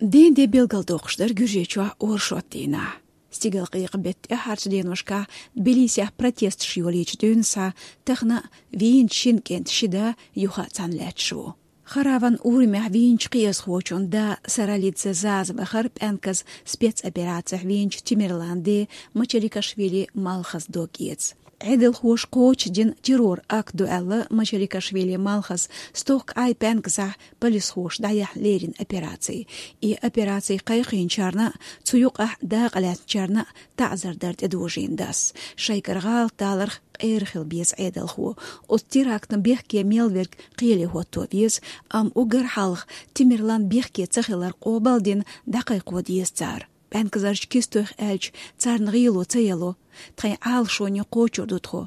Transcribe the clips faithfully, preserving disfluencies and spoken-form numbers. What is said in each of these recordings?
Дийнахьа де билгалдоккхуш дара Гуьржийчохь оршот дийнахь. Стигалкъекъа беттан тӀаьххьарчу деношкахь Тбилисехь протесташ йолийча дуьйна схьа тахана вийначу шина кӀентан ши да юха а цхьаьна лаьтташ ву. Хараван урамехь вийначу кхиазхочун да Саралидзе Заза вахара пӀаьнказа спецоперацехь вийначу Тимирлан ден Мачаликашвили Малхаза дог эца. Ӏедалхоша кхочушдина террор акт ду аьлла Мачаликашвили Малхаза стохка Ӏай пӀаьнказахь полисхоша дӀаяьхьна леррина операци. И операци кхайкхийначарна а, цу юкъахь дакъа лаьцначарна а таӀзар дар тӀедожийна дас. Шайгара гӀалат даларх къера хила беза Ӏедалхо. Оцу терактна бехке мел верг кхеле хӀотто веза, амма уггар хьалха Тимирлан бехке ца хилар къобал а дина дӀакхайкхо деза цара. ПӀаьнказарчу кистойх аьлча, царна гӀело ца яло, тхайн Ӏалашоне кхочур ду тхо.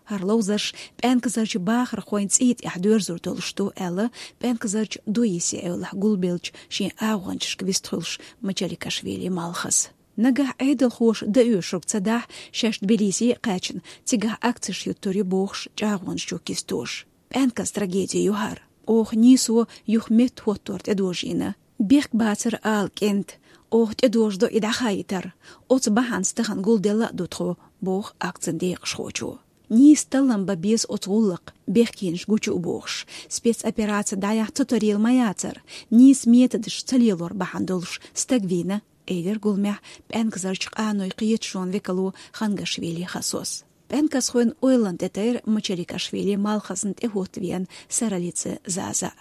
ХӀара ловзарш пӀаьнказарчу бахархойн цӀий тӀехь доьрзур долуш ду, аьлла, пӀаьнказарчу ДУИСе эвлахь гулбеллачу шен агӀончашка вистхуьлуш Мачаликашвили Малхаза. Нагахь Ӏедалхоша дан оьшург ца дахь, шаьш Тбилиси а кхаьчна, цигахь акцеш юттур ю бохуш чӀагӀонаш чу кистоша. ПӀаьнказа трагеди ю хӀара. Оха нийсо юха метта хӀоттор тӀедожийна. Бехк бацара ала кӀентан, оха тӀедожадо и дӀахаийтар. Оцу бахьанца тахана гулделла а ду тхо, боху акцин декъашхочо. Нийса таллам бан беза оцу гӀуллакх, бехкенаш гучу а бохуш. Спецопераци дӀаяхьа цу тарийла ма яцара, нийса методаш ца лелор бахьана долуш стаг вийна, элира гуламехь пӀаьнказарчу къанойн кхеташонан векало Хангашвили Хасос. ПӀаьнказхойн ойланна тӀетайра Мачаликашвили Малхазна тӀехӀоттавеана Саралидзе Заза.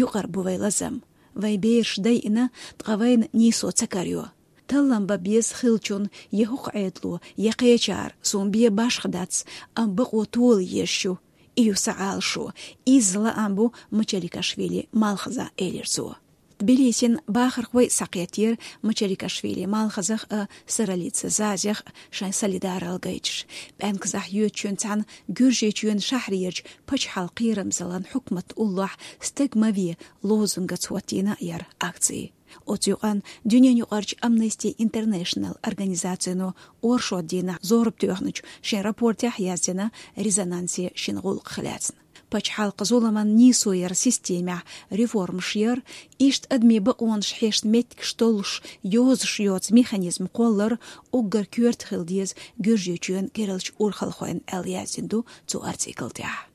Юкъара бу вайн лазам. Вайн бераш дайина, ткъа вайна нийсо ца карайо. Таллам бан беза хиллачунна я хӀокху Ӏедало, я кхечара, суна бен башха дац, амма бакъо тола езаш ю. И ю сан Ӏалашо, изза лаам бу Мачаликашвили Малхазан, элира цо. Тбилисин бахархой а схьакхеттера Мачаликашвили Малхазах а, Саралидзе Зазех а шайн солидаралла гайташ. ПӀаьнказахь йоьдучуьнца цхьаьна Гуьржийчоьнан шахьарерчу пачхьалкхан кхерамзаллин хьукматна уллохь «Стаг ма ве» лозунгаца хӀоттийна яра акци. Оцу юкъанна дуьненаюкъарчу Amnesty International организацино оршот дийнахь зорба тоьхначу шен рапортехь яздина резонансе шина гӀуллакхах лаьцна. Пачхьалкхан зуламан нийсо яр системехь реформаш яр, иштта адамийн бакъонаш хьешна меттигаш толлуш йозуш йоцу механизм кхоллар уггар коьрта хила деза Гуьржийчоьнан керлачу урхалхойн, аьлла яздина ду цу артикл тӀехь.